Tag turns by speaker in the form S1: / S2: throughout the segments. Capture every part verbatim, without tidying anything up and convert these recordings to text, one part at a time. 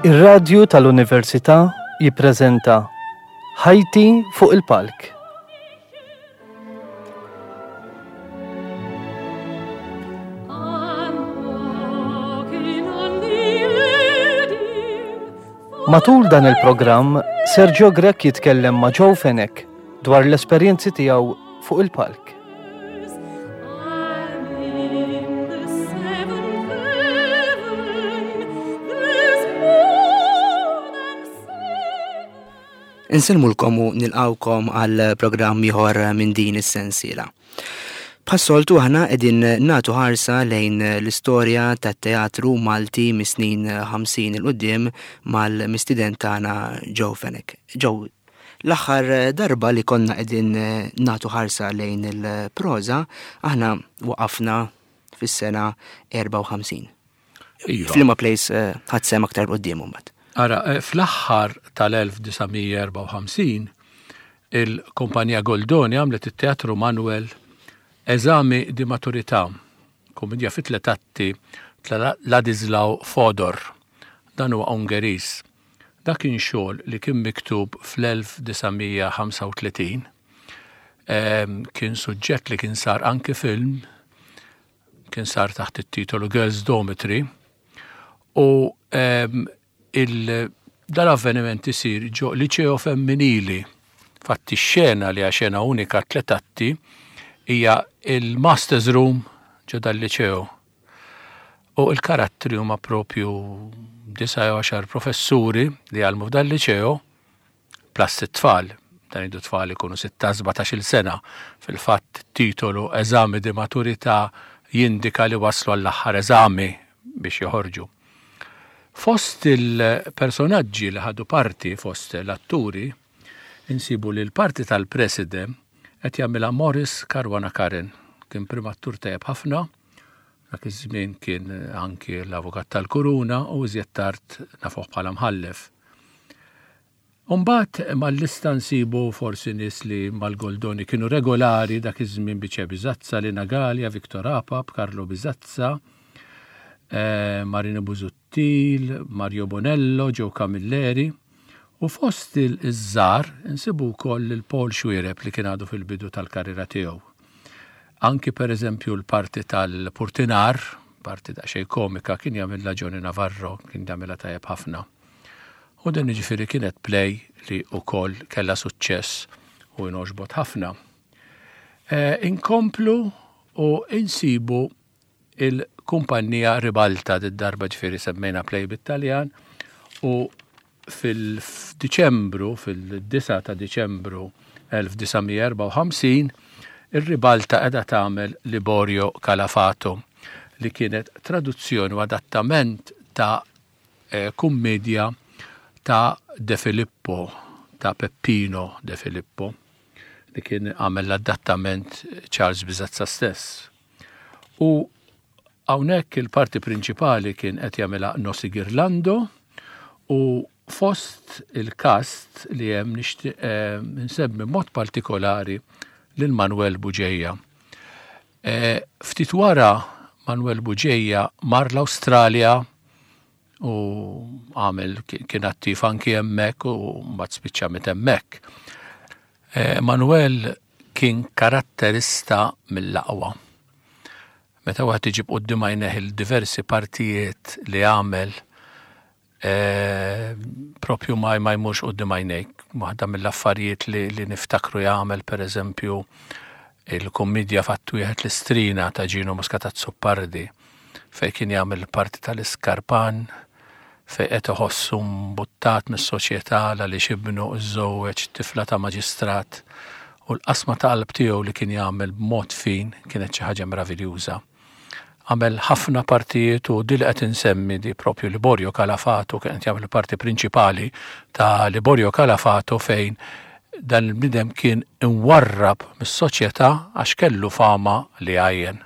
S1: Ir-radju tal-Università jippreżenta Ħajti fuq il-palk.
S2: I'm walking on the edge.
S1: Matul dan il-programm, Sergio Grech jitkellem ma' Joe Fenech dwar l-esperjenzi tiegħu fuq il-palk.
S2: I'm in the seventh heaven. There's more than seven.
S3: Insellmulkom u nilqawkom għal programm ieħor minn din is-sensiela. Bħas-soltu aħna qegħdin nagħtu ħarsa lejn l-istorja tat-teatru Malti mis-snin ħamsin il quddiem mal-mistiden tagħna Joe Fenech. Joe, l-aħħar darba li konna qegħdin nagħtu ħarsa lejn il-proża, aħna waqafna fis-sena erbgħa u ħamsin.
S4: Iva.
S3: F'liema place, eh, ħadd sehem aktar quddiem imbagħad.
S4: Ara, eh, fl-aħħar tal-elf disa' mija erbgħa u ħamsin, il-kumpanija Goldoni għamlet it-Teatru Manuel Eżami di Maturità, kumedja fi tliet atti ta' Ladislaw Fodor. Dan huwa Ungeriż. Dak kien xogħol li kien miktub fl-elf disa' mija ħamsa u tletin. Ehm, kien suġġett li kien sar anki film, kien sar taħt it-titolu Girls Dormitory. U, ehm, il-, dal-avveniment isir ġo liċeo femminili. Fatti x-xena li hija xena unika tliet atti hija il-Masters Room ġo dal-liċeo. U il-karattri huma propju disa' jew għaxar professuri li jgħallmu f'dal liċeo plus it-tfal. Dan idu tfal ikunu sitta sbatax-il sena. Fil-fatt titolu Eżami di Maturità jindika li waslu għall-aħħar eżami biex joħorġu. Fost il-personaġġi li ħadu parti fost l-atturi, insibu li l-parti tal-president qed jagħmilha Morris Caruana Karen. Kien primattur tajjeb ħafna, dak iż-żmien kien anki l-avukat tal-Kuruna u iżjed tard nafuh bħala mħallef. Umbagħad mal-lista nsibu forsi nies li mal-Goldoni kienu regolari dak iż-żmien Bice Bisazza, Lina Galea, Victor Apap, Carlo Bisazza, eh, Marino Busuttil, Mario Bonello, Joe Camilleri. U fost il-żgħar insibu wkoll il Paul Xuereb li kien għadu fil-bidu tal-karriera tiegħu. Anki per eżempju l-parti tal-Purtinar, parti daqsxejn komika, kien jagħmilha Johnny Navarro, kien jagħmilha tajjeb ħafna. U din jiġifieri kienet play li wkoll kellha suċċess u inogħġbot ħafna. Eh, inkomplu u insibu il-kumpanija Ribalta, d-darba ġifieri semmejna play bit-Taljan, u fil-Diċembru, fil-disa ta' Diċembru elf disa' mija erbgħa u ħamsin, ir-Ribalta qiegħda tagħmel Liborio Calafato, li kienet traduzzjoni u adattament ta', eh, kummedja ta' De Filippo, ta' Peppino De Filippo, li kien għamel l-adattament Charles Bisazza stess. U hawnhekk il-parti prinċipali kien qed jagħmilha Nossi Girlando, u fost il-kast li hemm nixtieq, eh, nsemmi mod partikolari lil Manuel Bugeja. Eh, ftit wara Manuel Bugeja mar l-Awstralja u għamel kien attiv anki hemmhekk u mbagħad spiċċa mit hemmhekk. Eh, Manuel kien karatterista mill-aqwa. Meta wieħed iġib quddiem għajnejh il-diversi partijiet li għamel, eh, propju ma, ma jmurx quddiem għajnejk. Waħda mill-affarijiet li, li niftakru jagħmel pereżempju il-kummedja Fatt Wieħed l-Istrina ta' Gino Muscat Azzopardi, fejn kien jagħmel parti tal-Iskarpan, fejn qed iħossu mbuttat mis-soċjetà għaliex ibnu żżewweġ tifla ta' maġistrat, u l-qasma ta' qalb tiegħu li kien jagħmel b'mod fin kienet xi ħaġa meraviljuża. Għamel ħafna partijiet u di li qed insemmi di propju Liborio Calafato, kien qed jagħmel parti prinċipali ta' Liborio Calafato fejn dan il-bniedem kien imwarrab mis-soċjetà għax kellu fama li għajjen.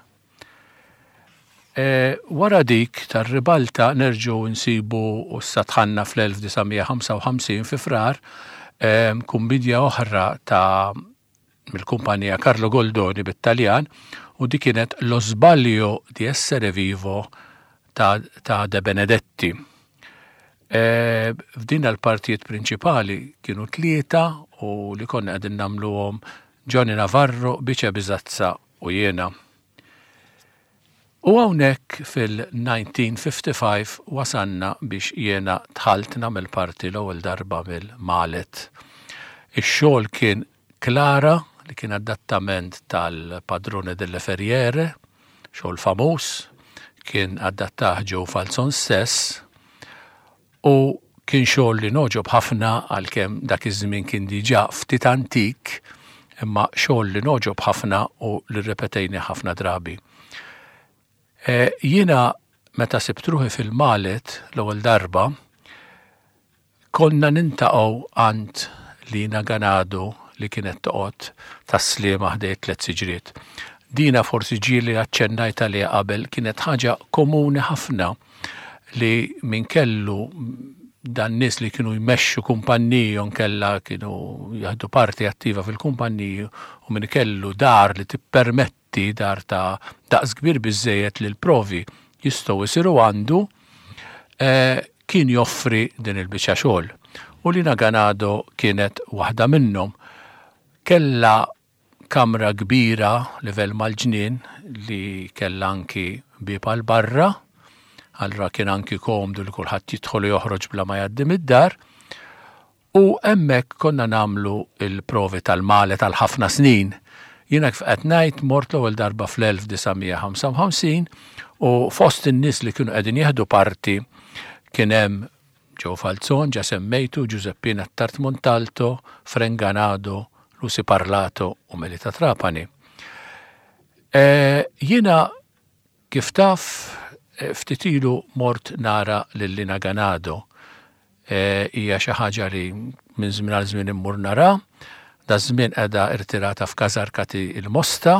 S4: E, wara dik tar-Ribalta nerġgħu nsibu u satħanna fl-elf disa' mija ħamsa u ħamsin fi Frar, e, kummedja oħra ta' mill-kumpanija Carlo Goldoni bit-Taljan, u di kienet Lo sbaglio di essere vivo ta', ta' De Benedetti. E, f'din l-partijiet prinċipali kienu tlieta u li konna qegħdin nagħmluhom Johnny Navarro, Bice Bizazza u jiena. U hawnhekk fil-elf disa' mija u ħamsa u ħamsin wasanna biex jiena dħalt nagħmel parti l-ewwel darba mill-Malet. Ix-xogħol kien Clara, li kien adattament tal-Padrone delle Ferriere, xogħol famuż, kien adattah Joe Falzon stess, u kien xogħol li nogħġob ħafna, għalkemm dak iż-żmien kien diġà ftit antik, imma xogħol li nogħġob ħafna u li rrepetejnieh ħafna drabi. E, jiena meta sibt ruħi fil-Malet l-ewwel darba, konna niltaqgħu għand Lina Ganado li kienet toqgħod Tas-Sliema ħdejn Tliet Siġriet. Dina forsi ġieli aċċennajt għaliha qabel, kienet ħaġa komuni ħafna li min kellu dan nies li kienu jmexxu kumpanniji u nkella kienu jaħdu parti attiva fil-kumpanniji u min kellu dar li tippermetti, dar ta' daqs kbir biżejjed li l-provi jistgħu jsiru għandu, eh, kien joffri din il-biċċa xogħol. U Lina Ganado kienet waħda minnhom. Kella kamra kbira livell mal-ġnien li kella anki bieb għal barra, allura kien anki komdu li kulħadd jidħol u joħroġ bla ma jgħaddi mid-dar. U hemmhekk konna nagħmlu il-provi tal-Malet tal ħafna snin. Jiena kif qed ngħid mort l-ewwel darba fl-elf disa' mija u ħamsa u ħamsin u fost in-nies li kienu qegħdin jieħdu parti kien hemm Joe Falzon, ġa semmejtu, Giuseppina Attard Montalto, Frank Ganado, Lucy Parlato u Melita Trapani. E, jiena kif taf e, ftit ilu mort nara lil Lina Ganado. E, hija xi ħaġa li minn żmien għal żmien immur nara. Da żmien qiegħda irtirata f'Kasarkati il-Mosta.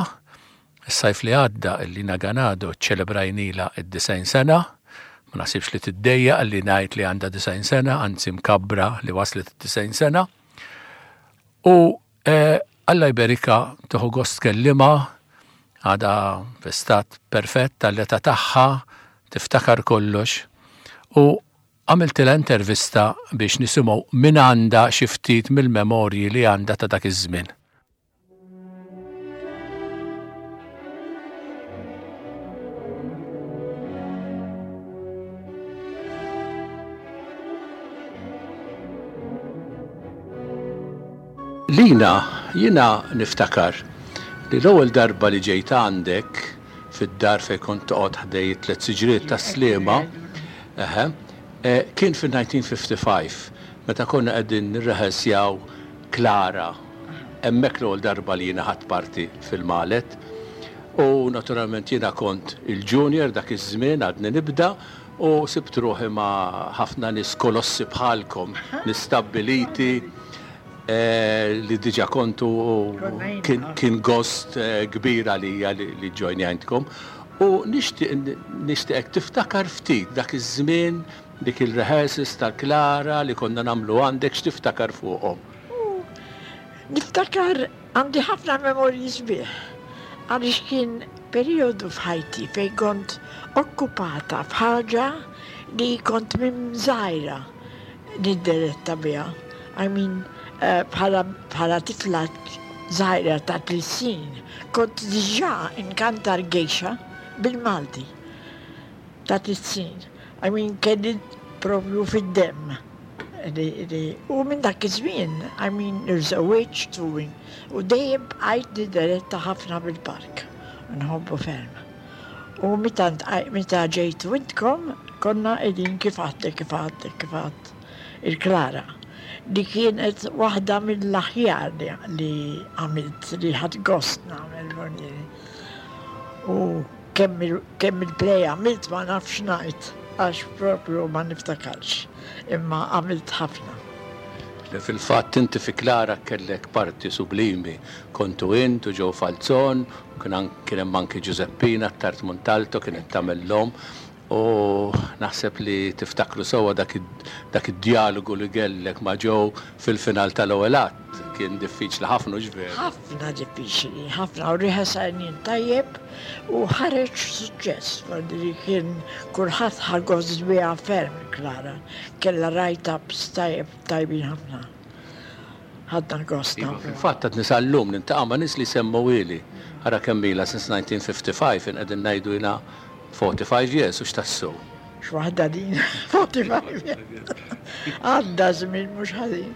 S4: Is-sajf li għadda il-Lina Ganado ċelebrajnila id-disgħin sena. Ma naħsibx li tiddejja li ngħid li għandha disgħin sena, anzi mkabbra li waslet id-disgħin sena. U eh, Alla jberikha, tieħu gost tkellimha, għadha fi stat perfett tal-età tagħha, tiftakar kollox. U għamiltilha intervista biex nisimgħu minn għandha xi ftit mill-memorji li għandha ta' dak iż-żmien. Lina, jiena niftakar li l-ewwel darba li ġejt għandek fid-dar fejn kont toqgħod ħdejn Tliet Siġriet Tas-Sliema, eħe, eh, kien fil-elf disa' mija u ħamsa u ħamsin meta konna qegħdin nirrehearsjaw Clara. Hemmhekk l-ewwel darba li jiena ħadt parti fil-Malet. U naturalment jiena kont il-junior dak iż-żmien, għadni nibda, u sibt ruħi ma' ħafna nies kolossi bħalkom, nies stabbiliti eh, li diġa kontu u kien, kien gost eh, kbir għalija li, li ġojnjajtkom. U nixtieq nixtieqek tiftakar ftit dak iż-żmien, dik il-rehearsals tal-Clara li konna nagħmlu għandek, x'tiftakar fuqhom.
S5: Niftakar, għandi ħafna memorji sbieħ, għaliex kien periodu f'ħajti fejn kont okkupata f'ħaġa li kont minn żgħira niddeletta biha. I mean, eh, bħala bħala tifla żgħira ta' tliet snin, kont diġà inkanta l-geisha bil-Malti ta' tliet snin. I mean, kelli propju fid-demm. Li, li, u minn dak iż-żmien, I mean, irżewwiġt u, u dejjem bqajt niddeletta ħafna bil-park. Nħobbu ferm. U meta ntqaj- meta ġejtu intkom, konna qegħdin kif għadtek, kif għadtek, kif għadt il-Clara, li kienet waħda mill-aħjar li, li għamilt, li ħadt gost nagħmel vornieri. U kemm il- kemm il-play għamilt ma nafx ngħid, għax propju ma niftakarx, imma għamilt ħafna.
S4: Li fil-fatt inti fi Clara kellek parti sublimi. Kontu int u Joe Falzon, u kien an- kien hemm anki Giuseppina Attard Montalto kienet tagħmel l-omm. U naħseb li tiftakru sewwa dak id-dialogu li kellek ma' Joe fil-final tal-ewwel att. Kien diffiċli ħafna, ġveru.
S5: Ħafna diffiċli, ħafna, u riħesajnin tajjeb u ħareġ suċċess, li kien kulħadd ħa gost biha ferm Klara. Kellha write-ups tajjeb tajbin ħafna. Ħadna gost.
S4: Iva, fil-fatt għad sal-lum niltaqa' ma' nies li semmuhieli. Ara kemm ilha since nineteen fifty-five, in qegħdin ngħidu jiena forty-five years u x'tassu.
S5: X'waħda din, forty-five years. Għadda żmien mhux ħażin.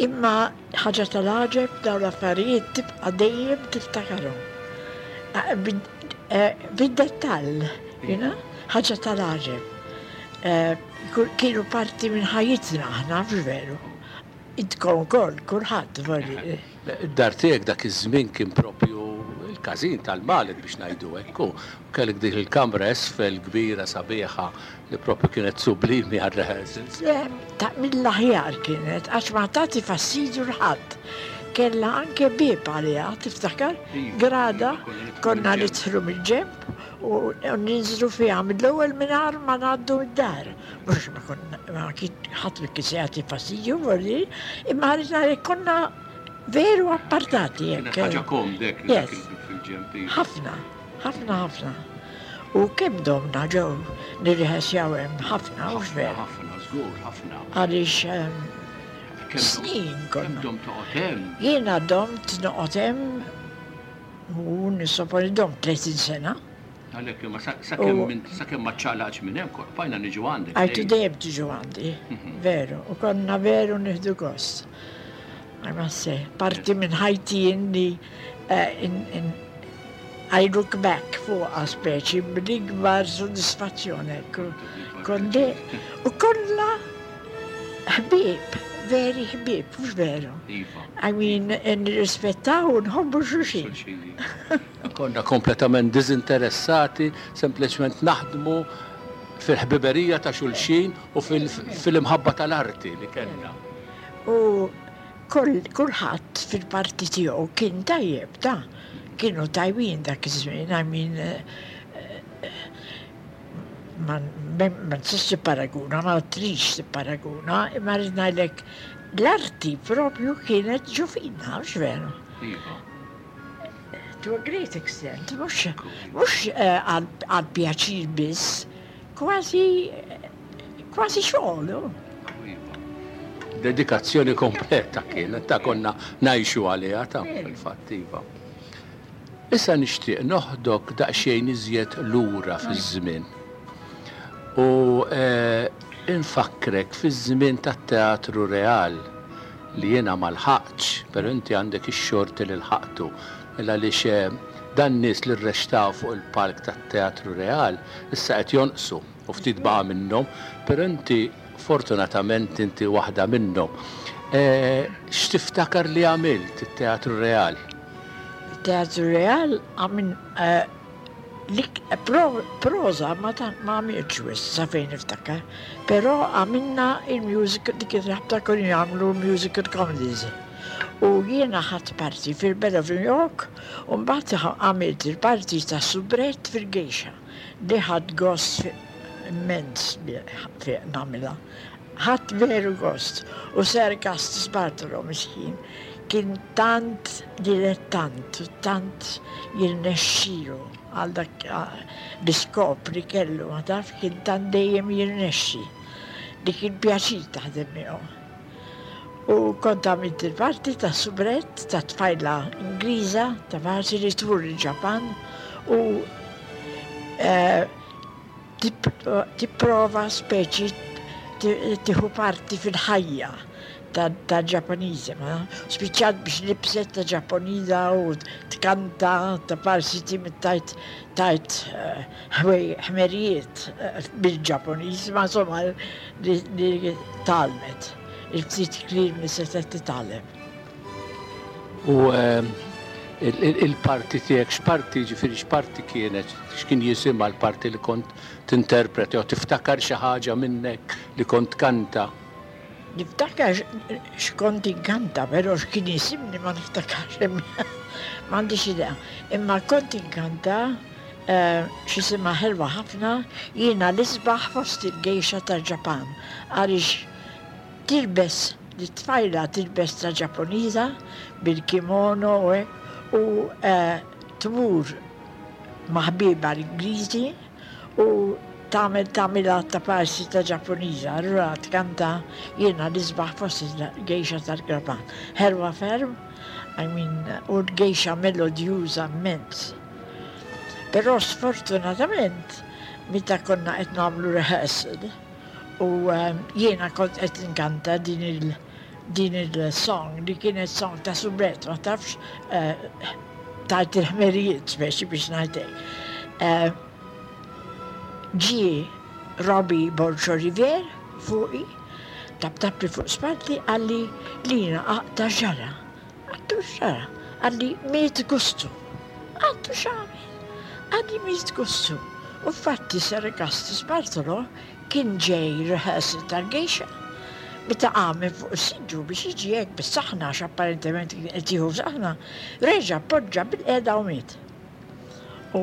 S5: Imma ħaġa tal-għaġeb, dawn l-affarijiet tibqa' dejjem tiftakarhom. Bid-dettall, jiena, ħaġa tal-għaġeb. Kienu parti minn ħajjitna aħna, veru. Intkom ukoll, kulħadd vorri.
S4: Id-dar tiegħek dak iż-żmien kien propju il-każin tal-Maled, biex ngħidu hekk. U kellek dik il-kamra esfel kbira sabiħa li propju kienet sublimi għal-rehearsals.
S5: Ta' mill-aħjar kienet, għax ma tagħti fastidju 'l ħadd. Kella anke bieb għaliha, tiftakar? Grada, konna nidħlu mill-ġenb u ninżlu fiha mill-ewwel mingħajr ma ngħaddu mid-dar. Mhux ma konna, ma kien ħadd ma kien se jagħti fastidju, vorri, imma rridna li konna veru appartati
S4: Kienet
S5: hekk.
S4: ħaġa komdek li
S5: Yes.
S4: dak il-bieb fil-ġenb, iva.
S5: Ħafna, ħafna, ħafna. U kemm domna ġew nirriħesjaw hemm ħafna, u
S4: Ħafna,
S5: veru.
S4: ħafna, żgur, ħafna.
S5: Għaliex ehm,
S4: Kemm dom-
S5: snin
S4: Kemm
S5: konna.
S4: dom toqgħod hemm?
S5: Jiena domt noqgħod hemm u nissoponi domt tletin sena.
S4: Għalhekk imma sa- sakemm
S5: U-
S4: minn- sakemm ma ċċaqlaqx minn hemm, bqajna niġu għandek.
S5: Għajtu
S4: dejjem.
S5: Dejjem tiġu għandi, veru, u konna veru nieħdu gost. I must say, parti minn ħajti inni eh, in, in, I look back fuq speċi bl-ikbar soddisfazzjoni. Ekku. Kondi, u kollha ħbieb, veri ħbieb, mhux veru?
S4: Iva.
S5: I mean, nirrispettaw u nħobbu xulxin.
S4: Xulxin. Konna kompletament dizinteressati, sempliċement naħdmu fil-ħbiberija ta' xulxin u fil- fil-imħabba tal-arti li kellna.
S5: U kull kulħadd fil-parti tiegħu kien tajjeb, ta' kienu tajbin dak iż-żmien, I mean, eh, eh, ma ma ma tistax tipparaguna, ma trix tipparaguna, imma rrid ngħidlek l-arti propju kienet ġo fina, mhux veru?
S4: Iva.
S5: To a great extent, mhux mhux eh, għal għal pjaċir biss, kważi kważi xogħol. Oh.
S4: Iva. Dedikazzjoni kompleta kienet, ta' konna ngħixu għaliha ta' fil-fatt, iva. Issa nixtieq noħdok daqsxejn iżjed lura fiż-żmien. U eh, infakkrek fiż-żmien tat-Teatru Real li jiena ma lħaqtx, però inti għandek ix-xorti li lħaqtu. Illa li dan nies li rreċtaw fuq il-palk tat-Teatru Real issa qed jonqsu u ftit baqa' minnhom, però inti fortunatament inti waħda minnhom. Eh, X'tiftakar li għamilt it-Teatru Real?
S5: Teatru Real għamin eh, lik pro, proza ma ta' ma għamilx wisq sa fejn niftakar, però għamilna il-musical, dik il-ħabta konna jagħmlu musical comedies. U jiena ħadt parti fil-Belle of New York u mbagħad għamilt il-parti ta' soubrette fil-Geisha li ħadt gost immens fi nagħmilha. Ħadt veru gost. U Sir Augustus Bartolo miskin kien tant dilettant u tant jirnexxilu għal dak l-iskop li kellu, ma taf, kien tant dejjem jirnexxi li kien pjaċir taħdem miegħu. U kont għamilt il-parti ta' soubrette ta' tfajla Ingliża ta' parti li tmur il-Ġapan u eh, tipprova speċi tieħu parti fil-ħajja ta' Ġapponiżi, ma? Spiċċat biex libset ta' Ġapponiża u tkanta ta' parsi tajt tajt ħmerijiet bil-Ġapponiż, ma insomma li tgħallmet, il-ftit kliem li setgħet titgħallem.
S4: U il-parti tiegħek, x'parti, ġifieri x'parti kienet, x'kien jisimha l-parti li kont tinterpreti, jew tiftakar xi ħaġa minnek li kont kanta?
S5: Niftakar x'kont inkanta, però x'kien jisimni ma niftakarx, m'għandix idea. Imma kont inkanta eh, x'jisimha ħelwa ħafna, jiena l-isbaħ fost il-geisha tal-Ġapan, għaliex tilbes, li tfajla tilbes ta' Ġappuniża bil-kimono u hekk, u eh, tmur ma' ħbiebha l-Ingliżi u tagħmel tagħmilha ta' parsi ta' Ġappuniża, allura tkanta jiena l-isbaħ fost il-geisha tal-Ġapan. Ħelwa ferm, I mean, u l-geisha melodjuża immens. Però sfortunatament, meta konna qed nagħmlu rehearsal, u um, jiena kont qed nkanta din il din il-song li kienet song ta' soubrette, ma tafx uh, tajt il-ħmerijiet speċi biex ngħidlek. Uh, ġie Robbie Borg Olivier fuqi, taptapli fuq spalti, qalli Lina aqta' x'ġara. Għedtlu x'ġara. Qalli miet Gustu. Għedtlu x'għamel. Qalli miet Gustu. U fatti Sir Augustus Bartolo kien ġej rehearsal tal-geisha. Meta qam minn fuq is-siġġu biex jiġi hekk bis-saħna, għax apparentement kien qed jieħu saħna, reġa' poġġa bil-qiegħda u miet. U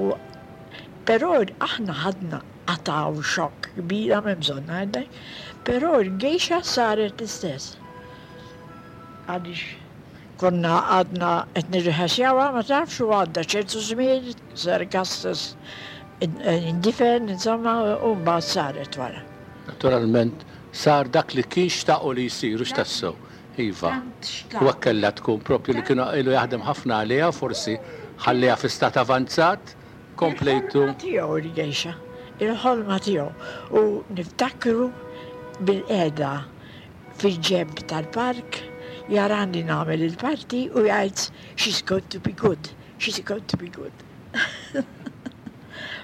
S5: però aħna ħadna qataw xokk kbira minn bżonn ngħidlek, però l-geisha saret l-istess. Għaliex konna għadna qed nirriħasjawha ma tafx u għadda ċertu żmien, Sir Augustus indifen, insomma, u mbagħad saret wara.
S4: Naturalment, sar dak li kien xtaqu li jisir, u x'tassew. Iva.
S5: Tant xtaq.
S4: U kellha tkun propju li kienu ilu jaħdem ħafna għaliha, forsi ħalliha fi stat avanzat, komplejtu.
S5: Il-ħolma tiegħu il-geisha, il-ħolma tiegħu. U niftakru bil-qeda fil-ġenb tal-park, jarani nagħmel il-parti u jgħid she's going to be good, she's going to be good.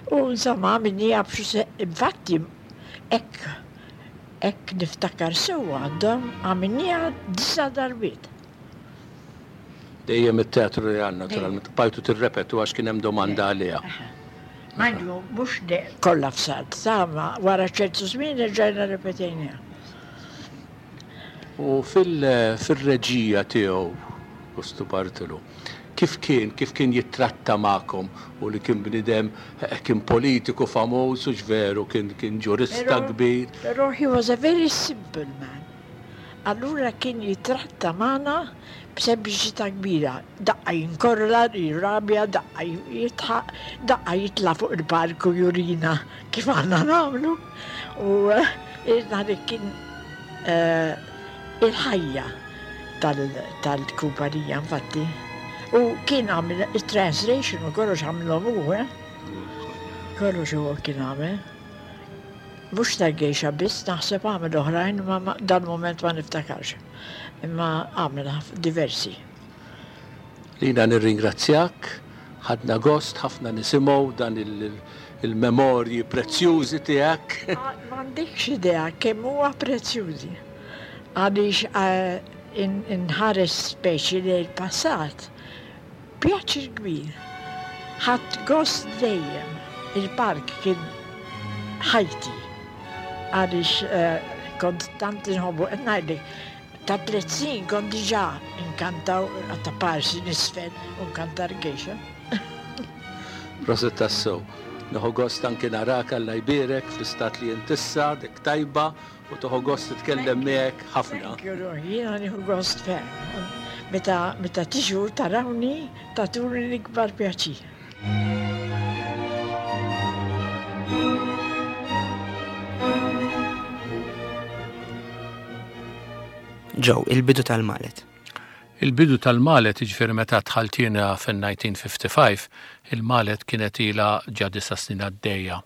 S5: U insomma, minni bxu infatti, hekk, hekk niftakar sewwa għandhom għamilnieha disa' darbiet.
S4: Dejjem it-teatru li għandna, naturalment, bqajtu tirrepetu għax kien hemm domanda għaliha.
S5: Manju, mhux de kollha f'salt, sama wara ċertu żmien rġajna repetejniha.
S4: U fil- fil-reġija tiegħu, Gustu Bartolo, kif kien, kif kien jittratta magħkom u li kien bnidem, eh, kien politiku famuż u ġveru, kien, kien ġurista
S5: Però-
S4: kbir.
S5: Però he was a very simple man. Allura kien jitratta magħna b'sempliċità kbira. Daqqa jinkorla, jirrabja, daqqa jitħaq, daqqa jitla fuq il-palku jurina kif għandna nagħmlu. U eh, irna li kien eh, il-ħajja tal- tal-kumpanija infatti. U kien għamil il-translation u kollox għamilhom hu, eh? Kollox huwa kien għamel. Mhux tal-geisha biss, naħseb għamel oħrajn, ma ma- dal-moment ma niftakarx. Imma għamel ħaf- diversi.
S4: Lina nirringrazzjak, ħadna gost, ħafna nisimgħu dan il- il-memorji prezzjużi tiegħek.
S5: Ma m'għandekx idea kemm huwa prezzjużi. Għaliex eh, in- inħares speċi li l-passat, pjaċir kbir. Ħadt gost dejjem. Il-park kien ħajti. Għaliex eh, kont tant inħobbu, qed ngħidlek, ta' tliet snin kont diġà inkantaw ta' parsi nisfel u nkanta l-geisha.
S4: Prosit tassew. Nieħu gost anki narak Alla jbierek fl-istat li int issa, dik tajba, u tieħu gost titkellem miegħek ħafna.
S5: Thank you, Roy. Jiena nieħu gost ferm. Meta, meta tiġu tarawni, tatuni l-ikbar pjaċir.
S3: Joe, il-bidu tal-Maleth.
S4: Il-bidu tal-Maleth, jiġifieri meta dħalt jiena fin-elf disa' mija u ħamsa u ħamsin, il-Maleth kienet ila ġa disa' snin għaddejja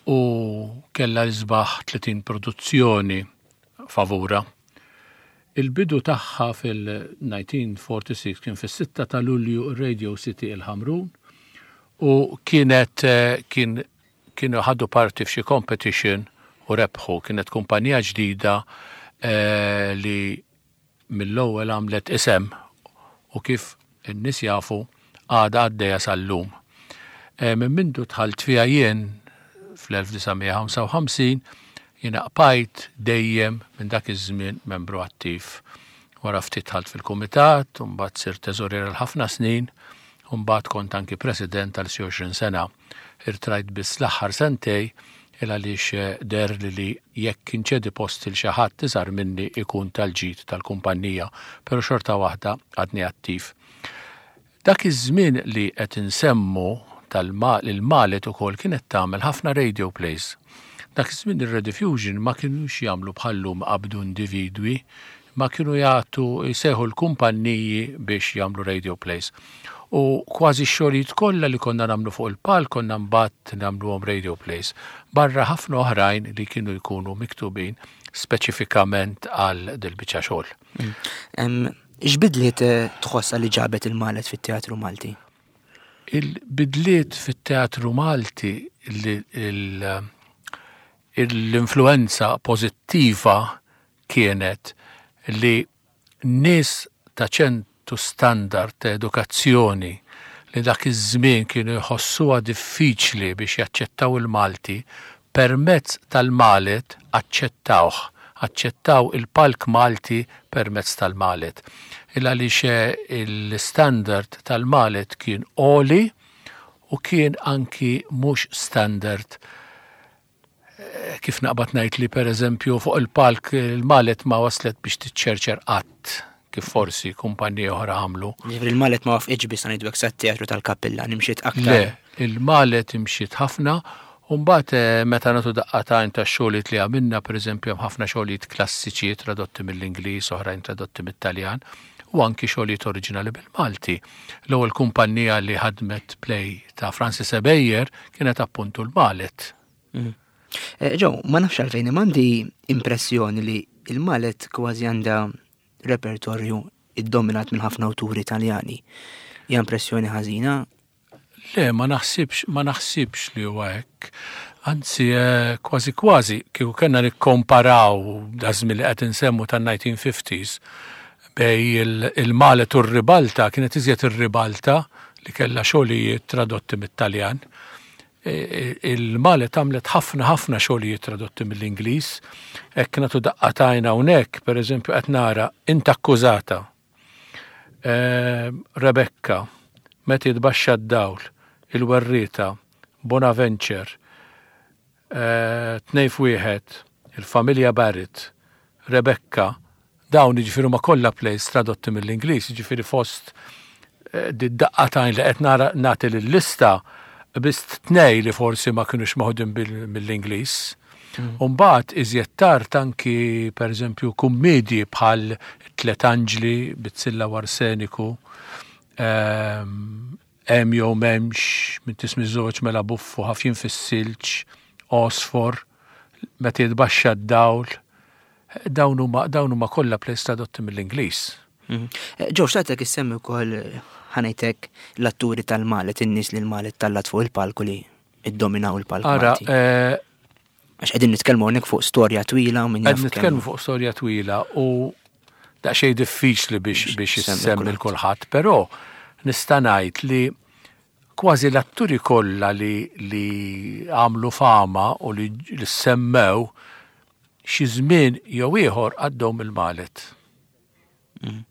S4: u kella l-isbaħ tletin produzzjoni favura. Il-bidu tagħha fil-elf disa' mija u sitta u erbgħin kien fis-sitta ta' Lulju Radio City il-Ħamrun u kienet eh, kien kienu ħadu parti f'xi competition u rebħu. Kienet kumpanija ġdida eh, li mill-ewwel għamlet isem u kif in-nies jafu għadha għaddejja sal-lum. E, Minn mindu dħalt fiha jien fl-elf disa' mija u ħamsa u ħamsin jiena bqajt dejjem minn dak iż-żmien membru attiv. Wara ftit dħalt fil-kumitat, u mbagħad sirt teżorier għal ħafna snin, U mbagħad kont anki president għal xi għoxrin sena. Irtrajt biss l-aħħar sentejn il għaliex eh, deher li li jekk inċedi post lil xi ħadd iżgħar minni ikun tal-ġid tal-kumpanija, pero xorta waħda għadni attiv. Dak iż-żmien li qed insemmu tal-Malet ukoll kienet tagħmel ħafna radio plays. Dak iż-żmien ir-Rediffusion ma kienux jagħmlu bħal-lum qabdu individwi, ma kienu jagħtu jsejħu l-kumpanniji biex jagħmlu radio plays. U kważi x-xogħlijiet kollha li konna nagħmlu fuq il-palk konna mbagħad nagħmluhom radio plays. Barra ħafna oħrajn li kienu jkunu miktubin speċifikament għal dil-biċċa xogħol.
S3: Mm. X'bidliet eh, tħossa li ġabet il-Malet fit-teatru Malti?
S4: Il-bidliet fit-teatru Malti, l-influenza pożittiva kienet li nies ta' ċertu standard ta' edukazzjoni li dak iż-żmien kienu jħossuha diffiċli biex jaċċettaw il-Malti, permezz tal-Malet aċċettawh, aċċettaw il-palk Malti permezz tal-Malet. Il għaliex il-standard tal-Malet kien għoli u kien anki mhux standard eh, kif naqbad ngħid li, per eżempju, fuq il-palk il-Malet ma waslet biex tiċċerċer qatt kif forsi kumpaniji oħra għamlu.
S3: Ġifieri il-Malet ma waqfitx biss, ngħidu hekk, sat-teatru tal-Kappilla, imxiet aktar.
S4: Le, il-Malet imxiet ħafna. U mbagħad eh, meta nagħtu daqqa t'għajn ta' xogħlijiet li għamilna, pereżempju, hemm ħafna xogħlijiet klassiċi tradotti mill-Ingliż, oħrajn tradotti mit-Taljan, u anki xogħlijiet oriġinali bil-Malti. L-ewwel kumpanija li ħadmet play ta' Francis Ebejer kienet appuntu l-Malet.
S3: Mm. Eh, Joe, ma nafx għalfejn għandi impressjoni li il-Malet kważi għandha repertorju iddominat minn ħafna awturi Italjani. Hija impressjoni ħażina?
S4: Le, ma naħsibx, ma naħsibx li huwa hekk. Anzi, eh, kważi kważi, kieku kellna nikkomparaw daż-żmien li qed insemmu tan-nineteen fifties bejn il-Malet u r-Ribalta, kienet iżjed ir-Ribalta li kellha xogħlijiet tradotti mit-Taljan. E, e, il-Malet għamlet ħafna ħafna xogħlijiet tradotti mill-Ingliż. Hekk nagħtu daqqa t'għajn hawnhekk, pereżempju, qed nara Int Akkużata, e, Rebecca, Meta Jitbaxxa d-Dawl, Il-Werrieta, Bonaventure, Tnejn f'Wieħed, Il-Familja Barrett, Rebecca, dawn jiġifieri ma kollha plays tradotti mill-Ingliż, jiġifieri fost daqqa t'għajn li qed nara nagħti l-lista biss tnej li forsi ma kienux maħudin mill-Ingliż. Mm. Umbagħad iżjed tard anki, pereżempju, kummedji bħal Tlet Anġli, Bizzilla u Arseniku, ehm, Hemm jew M'hemmx, M'intix Miżżewweġ Mela Buffu, Ħafjin fis-Silġ, Għosfor, Meta Jitbaxxa d-Dawl, dawn huma dawn huma kollha plays tradotti mill-Ingliż.
S3: Mhm. Eh, Joe, xtaqtek issemmi wkoll, ħa ngħidlek, l-atturi tal-Malet, in-nies li l-Malet tellgħet fuq il-palku li iddominaw il-palk.
S4: Ara, eh,
S3: Għax qegħdin nitkellmu hawnhekk fuq storja twila u minn
S4: Qed nitkellmu fuq storja twila u daqsxejn diffiċli biex biex issemmi kulħadd, però nista' ngħid li kważi l-atturi kollha li li għamlu fama u li li semmew xi żmien jew ieħor għaddew mill-Malet.
S3: Mm.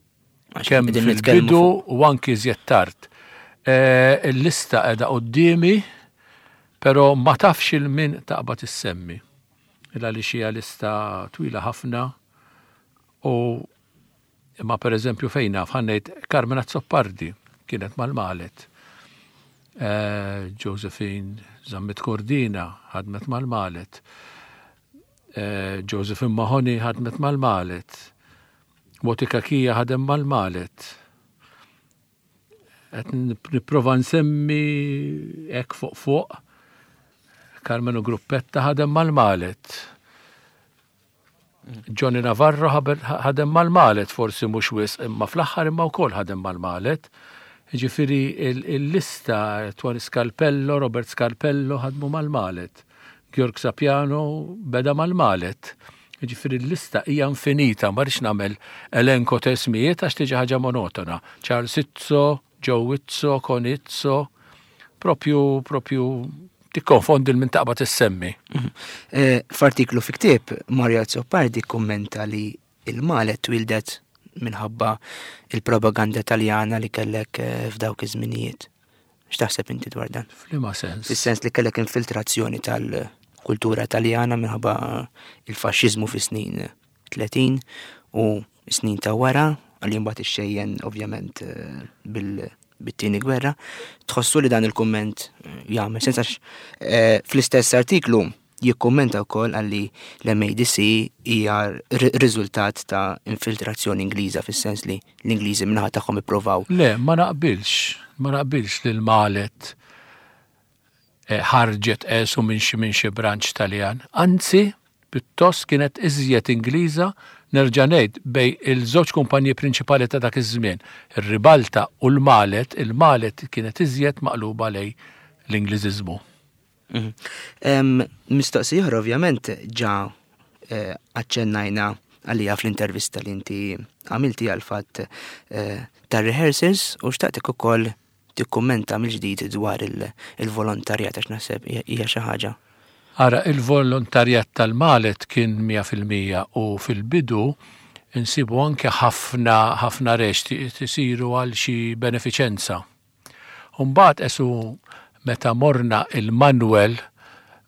S4: Kemm fil-bidu u anki iżjed tard. Eh, il-lista qiegħda quddiemi, però ma tafx 'il min taqbad issemmi. Illa li xija lista twila ħafna u imma, per eżempju, fejn naf, ħa ngħid, Carmen Azzopardi kienet mal-Malet. Eh, Josephine Zammit Cordina ħadmet mal-Malet. Eh, Josephine Mahoney ħadmet mal-Malet. Moti Cachia ħadem mal-Malet. Qed nipprova nsemmi hekk fuq fuq. Carmenu Gruppetta ħadem mal-Malet. Johnny Navarro ħadem mal-Malet, forsi mhux wisq, imma fl-aħħar imma wkoll ħadem mal-Malet. Ġifieri il-lista, Tony Scarpello, Robert Scarpello ħadmu mal-Malet. Georg Sapiano beda mal-Malet. Ġifieri l-lista hija infinita, ma rridx nagħmel elenko ta' ismijiet għax tiġi ħaġa monotona. Charles Izzo, Joe Izzo, Con Izzo, propju propju tikkonfondi 'l min taqbad issemmi.
S3: Mhm. Eh, f'artiklu fi ktieb, Mario Azzopardi kummenta li il-Malet twildet minħabba il-propaganda Taljana li kellek eh, f'dawk iż-żminijiet. X'taħseb inti dwar dan?
S4: F'liema sens?
S3: Fis-sens li kellek infiltrazzjoni tal-kultura Taljana minħabba il-faxxiżmu fis-snin tletin u snin ta' wara, għalli mbagħad ixxejjen ovvjament eh, bil bit-tieni gwerra. Tħossu li dan il-kumment eh, jagħmel sens għax eh, fl-istess artiklu jikkummenta wkoll għalli l-M A D C hija riżultat ta' infiltrazzjoni Ingliża, fis-sens li l-Ingliżi min-naħa tagħhom ippruvaw.
S4: Le, ma naqbilx, ma naqbilx li l-Malet eh, ħarġet esu minn xi minn xi branch Taljan. Anzi, pjuttost kienet iżjed Ingliża. Nerġa' ngħid, bejn il-żewġ kumpanji prinċipali ta' dak iż-żmien, ir-Ribalta u l-Malet, il-Malet kienet iżjed maqluba lejn l-Ingliżiżmu.
S3: Mhm. Mistoqsija oħra, ovvjament ġa eh, aċċennajna għalija fl-intervista li inti għamilti, għal-fatt eh, tar-rehearsals, u xtaqtek ukoll tikkummenta mill-ġdid dwar il-volontarjat għax naħseb hija xi ħaġa.
S4: Ara, il-volontarjat tal-Malet kien mija fil-mija u fil-bidu insibu anke ħafna ħafna reċti isiru għal xi beneficenza. Umbagħad esu meta morna il-Manuel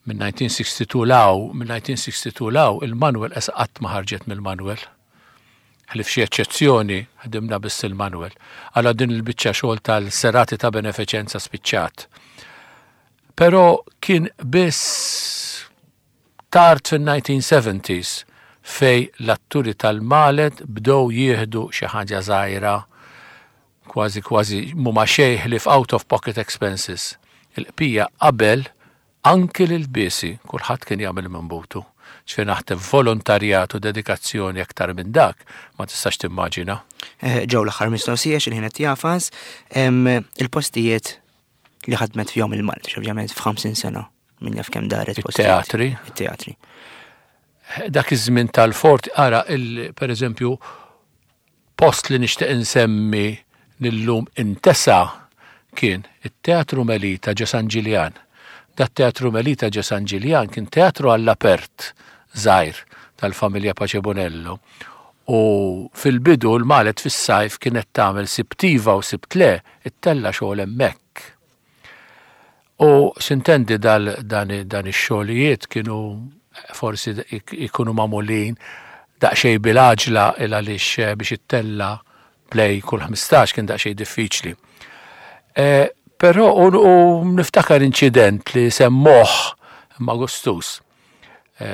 S4: minn elf disa' mija u sitta u sittin 'l hawn, minn elf disa' mija u sitta u sittin 'l hawn, il-Manuel esa qatt ma ħarġet mill-Manuel. Ħlief xi eċċezzjoni, ħdimna biss il-Manuel. Għala din il-biċċa xogħol tal-serati ta' beneficenza spiċċat. Però kien biss tard fin-nineteen seventies fejn l-atturi tal-Malet bdew jieħdu xi ħaġa żgħira, kważi kważi mhuma xejn ħlief out of pocket expenses. Il-bqija qabel, anki l-bisi, kulħadd kien jagħmel minn butu. Ġifieri naħseb volontarjat u dedikazzjoni aktar minn dak ma tistax timmaġina.
S3: Eh, ġew l-aħħar mistoqsija, x'il-ħin qed jagħfas, il-postijiet li ħadmet fihom il-Malet, ovvjament f'ħamsin sena min jaf kemm daret.
S4: It-teatri.
S3: It-teatri.
S4: Dak iż-żmien tal-fort, ara, per eżempju, post li nixtieq insemmi illum intesa kien it-Teatru Melita ġo San Ġiljan. Dat Teatru Melita ġo San Ġiljan kien teatru għall-apert żgħir tal-familja Pace Bonello. U fil-bidu l-Malet fis-sajf kienet tagħmel Sibt iva u Sibt le, ittella' xogħol hemmhekk. U s'intendi dal dan, dan ix-xogħlijiet kienu forsi ikunu magħmulin daqsxejn bil-għaġla, il għaliex biex ittella' play kull ħmistax kien daqsxejn diffiċli. E, Però u, u niftakar inċident li semmoh ma gustus. E,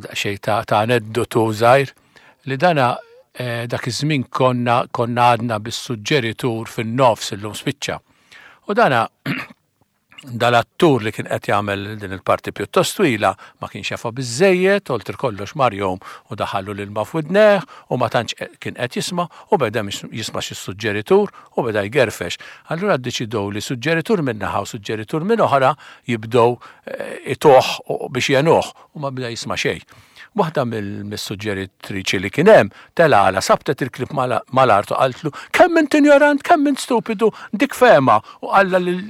S4: daqsxejn ta', ta' aneddotu żgħir li dana e, dak iż-żmien konna konna għadna bis-suġġeritur fin-nofs, illum spiċċa. U dana dal-attur li kien qed jagħmel din il-parti pjuttost twila ma kienx jafa biżejjed, oltre kollox mar jom u daħallu l-ilma f'widnejh u ma tantx kien qed jisma' u beda jisma' xi suġġeritur u beda jgerfex. Allura ddeċidew li suġġeritur minn naħa u suġġeritur minn oħra jibdew eh, ituh biex jenuh u ma beda jisma' xejn. Waħda mill-suġġeritriċi li kien hemm telgħala, sabtet il-klib mal-art u qaltlu: "Kemm int injorant, kemm int stupidu, dik fehma", u qalla lil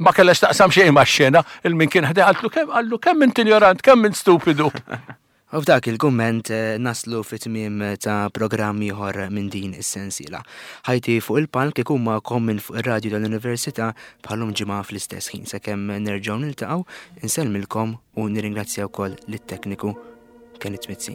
S4: ma kellax taqsam xejn ma' xena, il-min kien ħdejha qaltlu kemm qallu kemm int injorant, kemm int stupidu.
S3: U f'dak il-kumment eh, naslu fit-tmiem ta' programm ieħor minn din is-sensiela. Ħajti fuq il-palk ikun magħkom minn fuq ir-radju tal-Università bħal-lum ġimgħa fl-istess ħin. Sakemm nerġgħu niltaqgħu, insellmilkom u nirringrazzja wkoll lit-tekniku Kenneth Mizzi.